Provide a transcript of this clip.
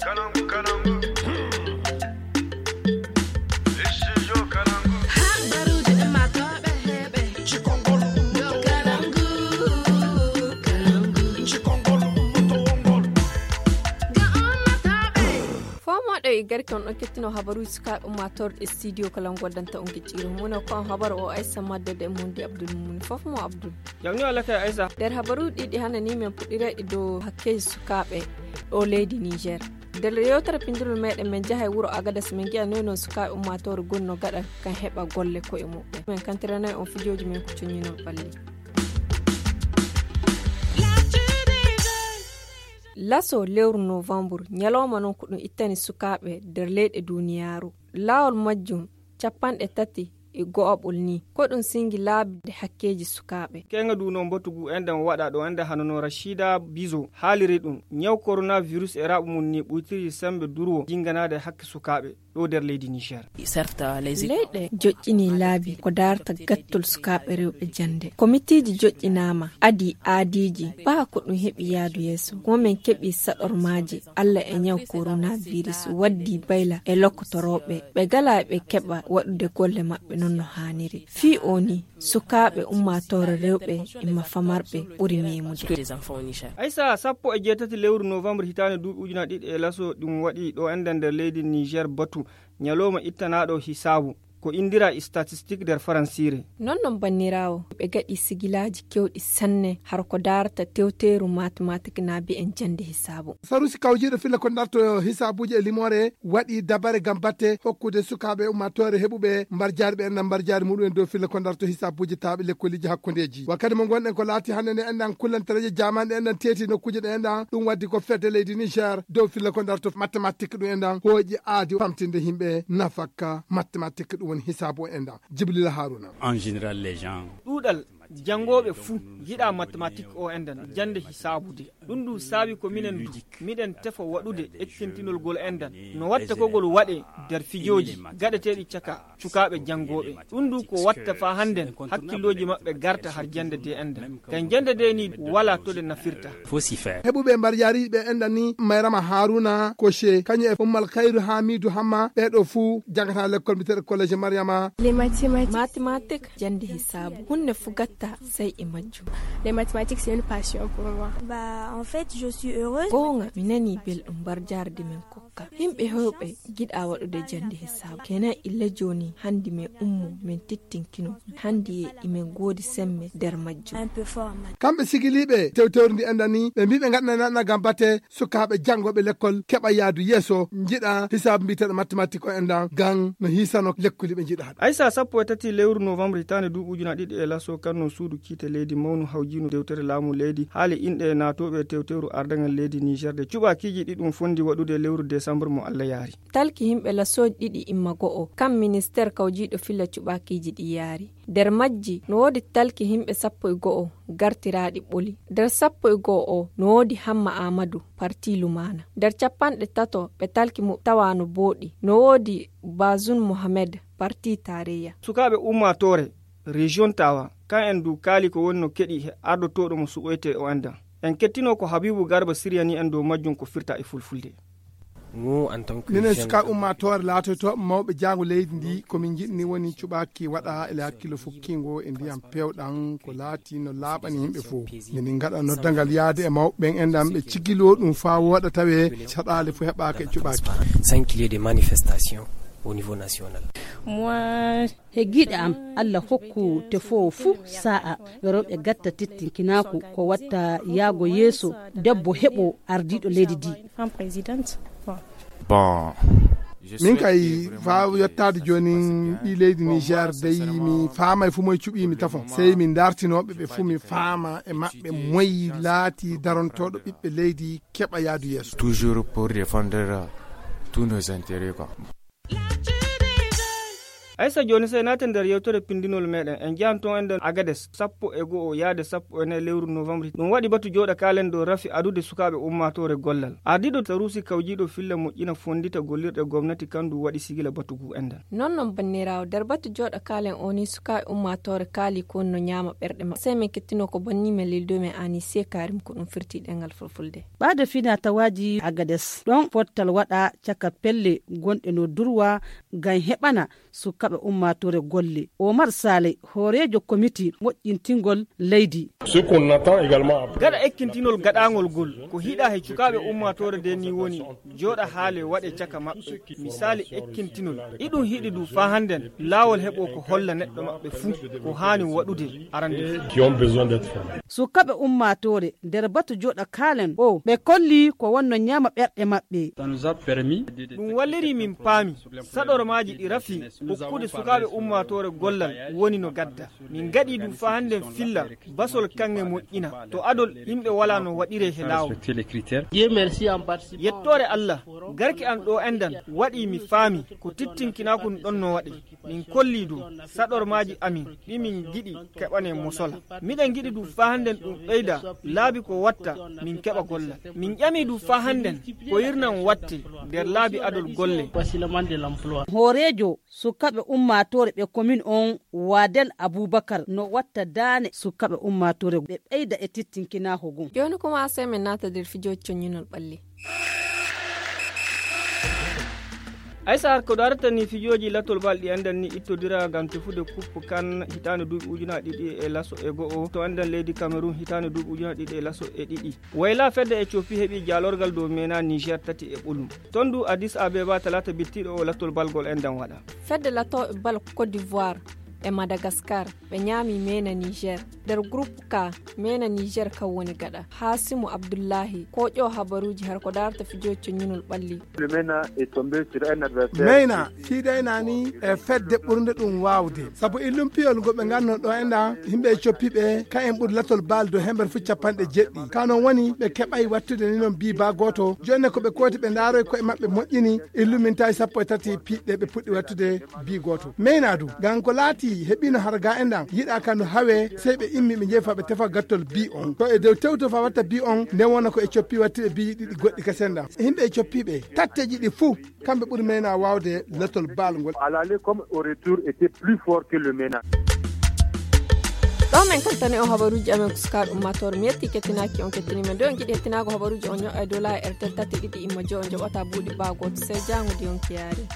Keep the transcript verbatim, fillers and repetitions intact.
Fo moɗo e garki on ɗon kettino habaruuji sukaaɓe ummaatoore ɗe studio kala goddanta on gicciiro mum ko on habaru o aysa maddode e mundi abdul mumuni fof mo abdul. Jawni o lakay aysa. Nder habaruuji ɗiɗi hanani men puɗɗirayɗi dow hakkeeji sukaaɓe ɗo leydi niger. Nder yewtere pindirol meɗen men jaha e wuro agadas men ngiya noy non sukaaɓe ummaatoore gonno gaɗa kan heɓa golle koye muɓɓen men kantiranay on fijooji men ko coñinol ɓalli. Laso lewru novembre ñalawma noon ko ɗum ittani sukaaɓe nder leyɗe duniyaaru. Laawol majjum capanɗe tati e go'aɓol ni ko ɗum singi laabi hakkeeji sukaaɓe. Keŋa du no mbotugu enɗen waɗa ɗo enɗen hano no rashida bizo haaliri ɗum ñaw coronavirus e raɓu mum ni ɓuytiri sembe durwo jinganaade hakke sukaaɓe ɗo nder leydi niger. Leyɗe joƴƴini laabi ko daarta gattol sukaaɓe rewɓe jannde komitiiji joƴƴinaama adi aadiiji ɓaa ko ɗum heɓi yaadu yeeso ko min keɓi saɗormaaji allah e ñaw coronavirus waddi bayla e lokkotorooɓe ɓe gala e ɓe keɓa waɗude golle maɓɓe noon no haaniri fii o ni sukaaɓe ummaatoore rewɓe imma famarɓe ɓuri meemude. Aysa sappo e jeetati lewru novembre hitaande duuɓi ujuna ɗiɗi e laso ɗum waɗi ɗo enɗen nder leydi niger batu ñalowma ittanaaɗo hisaabu ko indira statistique nder faransiire. Noon noon banniraawo ɓe gaɗi sigilaaji kewɗi sanne hara ko daarata tewteeru matematik na mbiyen jannde hisaabu. Sarusi kawjiiɗo filla ko darto hisaabuuji e limoore waɗi dabare ngam batte hokkude sukaaɓe ummaatoore heɓuɓe mbarjaari ɓe enɗan mbarjaari muɗum en dow filla ko darto hisaabuuji taaɓe lekkoliji hakkundeeji wakkati mo ngonɗen ko laati hannde nde enɗan kullantereeje jamanɗe enɗan teeti nokkuuje ɗe enɗan ɗum waddi ko fedde leydi niger dow filla ko darto matematik ɗum enɗan hooƴi aadi famtinde yimɓe nafakka matematik ɗum woni hisaabu o enɗan. Jibrila haruna. En général les gens ɗuuɗal janngooɓe fuu njiɗa matematik o enɗan jannde hisaabude. Ɗum ɗum saabi ko minen du miɗen tefa waɗude ekkintinol ngol enɗan no watta ko ngol waɗe nder fijooji gaɗeteeɗi caka cukaaɓe janngooɓe. Ɗum ɗum ko watta faa hannden hakkillooji maɓɓe garta har jannde de enɗan ngam jannde de ni walaa to ɗe nafirta. Heɓuɓe mbarjaariiji ɓe enɗan ni mayrama haruna koche kañum e ummal kayru hamidu hamma ɓeeɗo fuu janngata lekkol mbiyeteeɗo collège mariama. Mathématique jannde hisaabu hunde fuu gatta sey e majjum. Les mathématiques c'est une passion pour moi. Bah en fait je suis heureuse. Goonga mi nanii belɗum mbarjaari de min kokka yimɓe heewɓe njiɗa waɗude jannde hisaabu kenan illa jooni hanndi min ummo min tittinkino hanndi e imin ngoodi semme nder majjum. Kamɓe sigiliiɓe tewtewri ndi enɗan ni ɓe mbii ɓe ngaɗanay naɗana ngam batte sukaaɓe janngooɓe lekkol keɓa yahdu yeeso njiɗa hisaabu mbiyeteeɗo mathématique o enɗan ngam no hiisano lekkoli ɓe njiɗa haɗa. Aysa sappo e tati lewru novembre hitaande duuɓi ujuna ɗiɗi e laso kanno suudu kiite leydi mawnu hawjiinu dewtere laamu leydi haali inɗe naatooɓe tewtewru ardaŋal leydi niger de cuɓaakiiji ɗi ɗum fondi waɗude lewru décembre mo allah yaari. Talki yimɓe lasooji ɗiɗi imma go'o kam ministeer kawjiiɗo filla cuɓaakiiji ɗi yaari. Nder majji no woodi talki yimɓe sappo e go'o gartiraaɗi ɓoli. Nder sappo e go'o o no woodi hamma aamadu parti lumaana. Nder capanɗe tato ɓe talki muɓɓe tawaano booɗi no woodi bazun mohamed parti taareyya. Sukaaɓe ummaatoore rejiyon tawa kan en du kaali ko woni no keɗi he ardotooɗo mo suɓoyte o enɗan. En kettino ko habibu garba siryani en dow majjum ko firta e fulfulde. Minen sukaaɓe ummaatoore laatoytooɓe mawɓe jaango leydi ndi ko min njiɗni woni cuɓaaki waɗa ele hakkillo fukkingo e ndiyam peewɗam ko laati no laaɓani yimɓe fof. Minin ngaɗa noddangal yaade e mawɓe ɓen enɗan ɓe cigiloo ɗum faa wooɗa tawee caɗaale fof heɓaaka e cuɓaaki. Sans qu'il y ait des manifestations au niveau national. He giiɗe am, Allah hokku tefoowo fuu saa'a, rewɓe gatta tettinkinaaku ko watta yaago yeeso, debbo heɓo ardiiɗo leydi ndi. Bon. Min kay faa yottaade joonin ɓii leydi niger dey mi faamay fuu moye cuɓii mi tafon sey mi ndartinooɓe ɓe fuu mi faama e maɓɓe moye laatii darontooɗo ɓiɓɓe leydi keɓa yahdu yeeso. Toujours pour défendre tous nos intérêts quoi. Aysa, jooni sey naaten nder yewtere pindinol meɗen. En njahan toon enɗen Agades, sappo e go'o yaade sappo e nayi lewru novembre. Ɗum waɗi batu jooɗa kaalen dow rafi adude sukaaɓe ummaatoore gollal. Ardiiɗo Saruusi kawjiiɗo filla moƴƴina fonndita gollirɗe gomnati kandu waɗi sigila batu ngu enɗen. Non non banniraawo, nder batu jooɗa kaalen o ni sukaaɓe ummaatoore kaali ko no ñaama ɓerɗe maɓɓe. Sey min kettino ko bonni men lildo men Anise Karim ko ɗum firti ɗengal fulfulde. Ɓaade fina tawaaji Agades, ɗon pottal waɗa caka pelle gonɗe no durwa ngam heɓana sukaaɓe ummaatoore golle. Omar Sale, hooreejo komiti moƴƴintingol leydi. Gaɗa ekkintinol gaɗaangol ngol, ko hiɗa he cukaaɓe ummaatoore nde ni woni, jooɗa haale waɗe caka maɓɓe. Misaali ekkintinol, iɗum hiɗi du faa hannden laawol heɓo ko holla neɗɗo maɓɓe fuu ko haani waɗude arande fuu. Sukaaɓe ummaatoore nder batu jooɗa kaalen o, ɓe kolli ko wonno ñaama ɓerɗe maɓɓe. Ɗum walliri min paami saɗormaaji ɗi rafi hokkude sukaaɓe ummaatoore gollal woni no gadda. Min gaɗi ɗum faa hannden filla basol kaŋŋe moƴƴina to adol yimɓe walaa no waɗiree he laawol. Yettoore Allah, garki am ɗo enɗan waɗi mi faami ko tittinkinaaku ɗon no waɗi. Min kolli du saɗormaaji amin ɗi min giɗi keɓane mosola. Miɗen giɗi du faa hannden ɗum ɓeyda laabi ko watta min keɓa gollal. Min ƴami du faa hannden ko yirnan watte nder laabi adol golle. Hooreejo sukaaɓe ummaatoore ɓe komin on Waadel Abubakar no watta daane sukaaɓe ummaatoore ɓe ɓeyda e tittinkinaaku ngun. Jooni kuma sey min naata nder fijooji coññinol ɓalli. Aysa, har ko darata ni fijooji latol bal ɗi enɗan ni ittodira ngam tefude kuppu kan hitaande duuɓi ujunaaji ɗiɗi e laso e go'o to enɗan leydi Cameroun hitaande duuɓi ujunaaji ɗiɗi e laso e ɗiɗi. Wayla fedde Ethiopie heɓi jaalorgal dow mena Niger tati e ɓolum. Ton du Addis Abeba talaata bittiɗo o latol bal ngol enɗan waɗa. Fedde latooɓe bal Côte d'Ivoire e Madagascar ɓe ñaami mena Niger. Nder groupe K, mena Niger kan woni gaɗa. Hasimu Abdullahi, koƴo habaruuji har ko darata fijooji coññinol ɓalli. Mena fiidaynaani e fedde ɓurnde ɗum waawde. Sabu illum piyol ngo ɓe nganno ɗo enɗan, yimɓe e coppiɓe, ka en ɓuri latol bal dow hember fu capanɗe jeɗɗi. Ka non woni ɓe keɓay wattude ni non bii baa gooto. Jooni ko ɓe kooti ɓe ndaaroy koye maɓɓe moƴƴini, illumintaay sappo e tati piɗɗe ɓe puɗɗi wattude bii gooto. Meyna du, ngam ko laati heɓino har ga enɗan, yiɗa ka no hawe, sey ɓe immi ɓe jeefa ɓe tefa gattol bii on. To e dow tewto fa watta bii on, nden wona ko e coppi wattude bii ɗiɗi goɗɗi kasen ɗan. Yimɓe e coppiɓe, tatteji ɗi fuu, kamɓe ɓuri meyna waawde latol bal ngol. Comme au retour était plus fort que le meyna. Ɗo men kattani on habaruuji amen ko sukaaɓe ummaatoore. Mi yetti kettinaaki on kettini men. Nde on giɗi hettinaago habaruuji on ño'a e dola e R T L tati ɗiɗi imma joy on joɓata buuɗi ɓaa gooto. Sey jaango di on kiyaari.